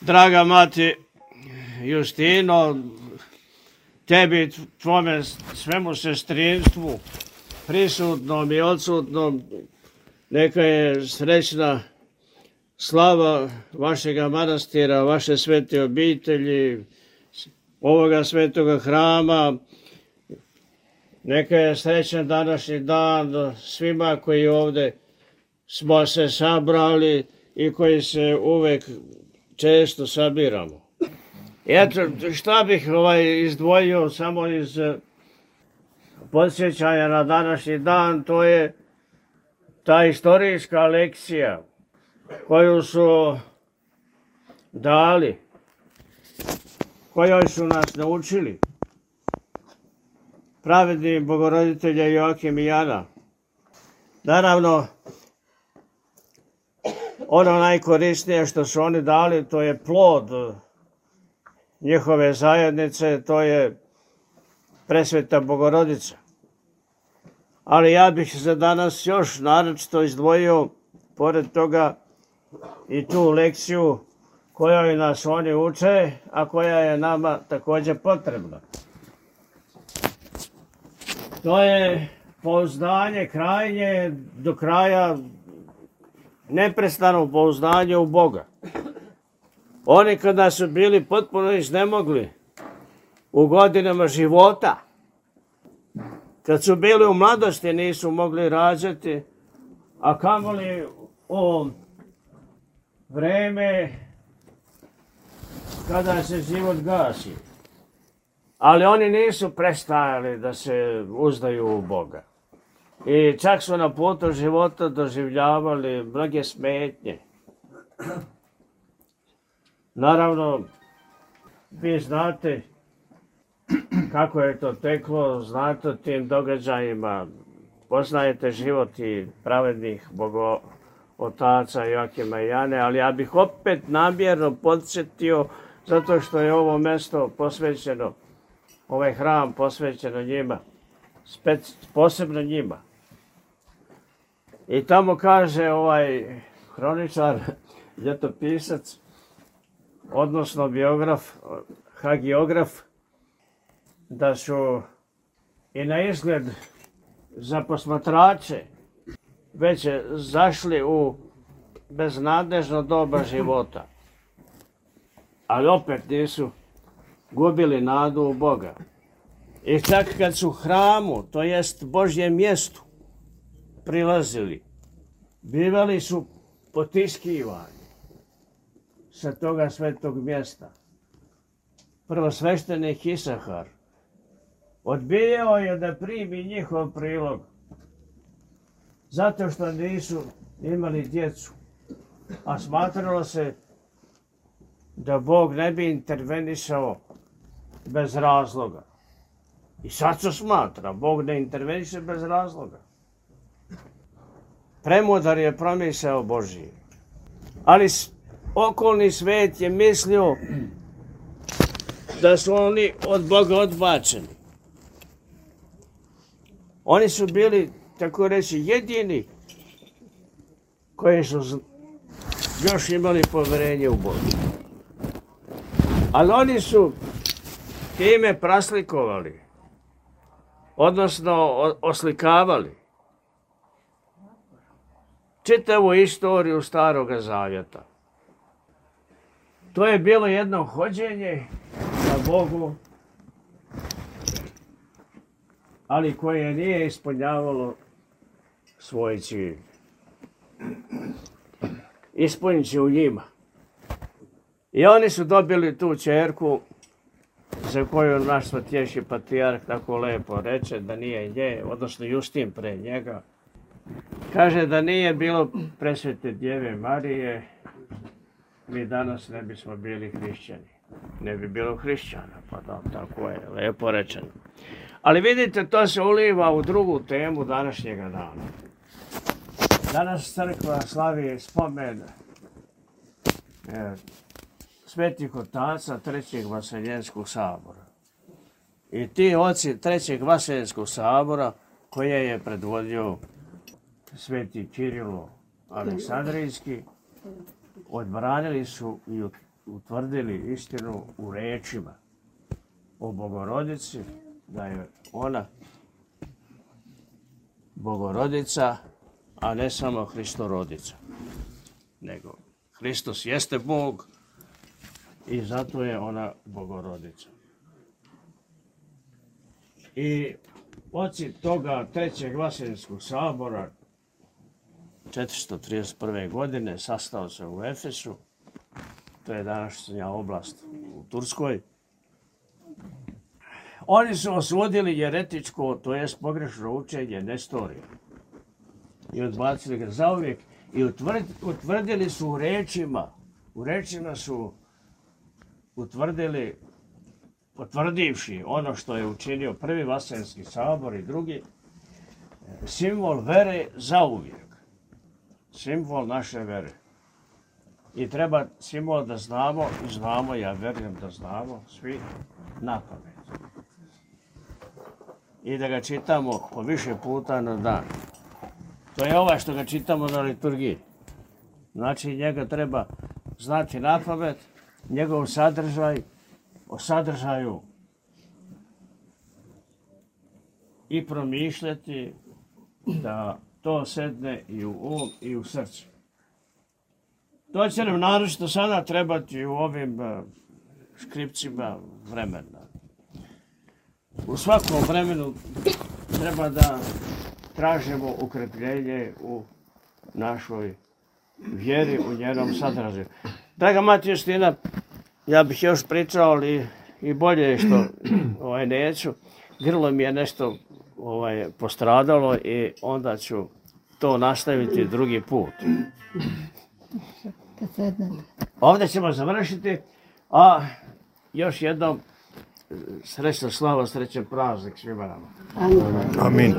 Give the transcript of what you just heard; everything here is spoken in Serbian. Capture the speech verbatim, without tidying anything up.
Draga mati Justino, tebi, tvome svemu sestrinstvu, prisutnom i odsutnom, neka je srećna slava vašega manastira, vaše svete obitelji, ovoga svetoga hrama. Neka je srećan današnji dan svima koji ovdje smo se sabrali i koji se uvek često sabiramo. Eto, šta bih ovaj izdvojio samo iz podsjećanja na današnji dan, to je ta istorijska lekcija koju su dali, kojoj su nas naučili pravedni bogoroditelja Joakim i Jana. Naravno, ono najkorisnije što su oni dali, to je plod njihove zajednice, to je presveta Bogorodica. Ali ja bih za danas još naročito izdvojio, pored toga, i tu lekciju kojoj nas oni uče, a koja je nama također potrebna. To je pouzdanje krajnje, do kraja neprestano pouzdanje u Boga. Oni kada su bili potpuno iznemogli u godinama života, kad su bili u mladosti nisu mogli rađati, a kamoli u vreme kada se život gasi. Ali oni nisu prestajali da se uzdaju u Boga. I čak su na putu života doživljavali mnoge smetnje. Naravno, vi znate kako je to teklo, znate o tim događajima, poznajete život i pravednih bogootaca Joakima i Jane, ali ja bih opet namjerno podsjetio, zato što je ovo mjesto posvećeno, ovaj hram posvećeno njima, spec, posebno njima. I tamo kaže ovaj hroničar, ljetopisac, odnosno biograf, hagiograf, da su i na izgled za posmatrače već zašli u beznadežno doba života. Ali opet nisu gubili nadu u Boga. I čak kad su hramu, to jest Božjem mjestu, prilazili, bivali su potiskivani sa toga svetog mjesta. Prvosveštenik Isahar odbijao je da primi njihov prilog, zato što nisu imali djecu, a smatralo se da Bog ne bi intervenisao bez razloga. I sad se smatra, Bog ne interveniše bez razloga. Premudar je promisao Božiji. Ali okolni svet je mislio da su oni od Boga odbačeni. Oni su bili, tako reći, jedini koji su još imali povjerenje u Boga. Ali oni su time praslikovali, odnosno oslikavali čitavu istoriju Staroga Zavjeta. To je bilo jedno hođenje za Bogu, ali koje nije ispunjavalo svoj cilj. Ispunit će u njima. I oni su dobili tu ćerku za koju naš svatješki patrijarh tako lepo reče da nije nje, odnosno Justin pre njega. Kaže da nije bilo presvete Djeve Marije, mi danas ne bismo bili hrišćani. Ne bi bilo hrišćana, pa da, tako je lepo rečeno. Ali vidite, to se uliva u drugu temu današnjega dana. Danas crkva slavi spomen e, svetih otaca Trećeg Vaseljenskog sabora. I ti oci Trećeg Vaseljenskog sabora, koje je predvodio sveti Kirilo Aleksandrijski, odbranili su i utvrdili istinu u rečima o Bogorodici, da je ona Bogorodica, a ne samo Hristorodica, nego Hristos jeste Bog i zato je ona Bogorodica. I oci toga Trećeg Vaseljenskog sabora četiristo trideset prve. godine sastao se u Efesu, to je današnja oblast u Turskoj. Oni su osudili jeretičko, to jest pogrešno učenje Nestorija i odbacili ga zauvijek i utvrdili su u rečima, u rečima su utvrdili, potvrdivši ono što je učinio prvi Vaseljenski sabor i drugi, simbol vere zauvijek. Simbol naše vere. I treba simbol da znamo, i znamo, ja verujem da znamo, svi na pamet. I da ga čitamo po više puta na dan. To je ovaj što ga čitamo na liturgiji. Znači njega treba znati na pamet, njegov sadržaj, o sadržaju i promišljati da to sedne i u um i u srce. To će nam naročito sada trebati u ovim škripcima vremena. U svakom vremenu treba da tražimo ukrepljenje u našoj vjeri, u njenom sadržaju. Draga mati Justina, ja bih još pričao, ali i bolje je što ovaj, neću. Grlo mi je nešto ovaj, postradalo i onda ću to nastaviti drugi put. Ovdje ćemo završiti, a još jednom srećna slava, srećan praznik svima nama. Amin.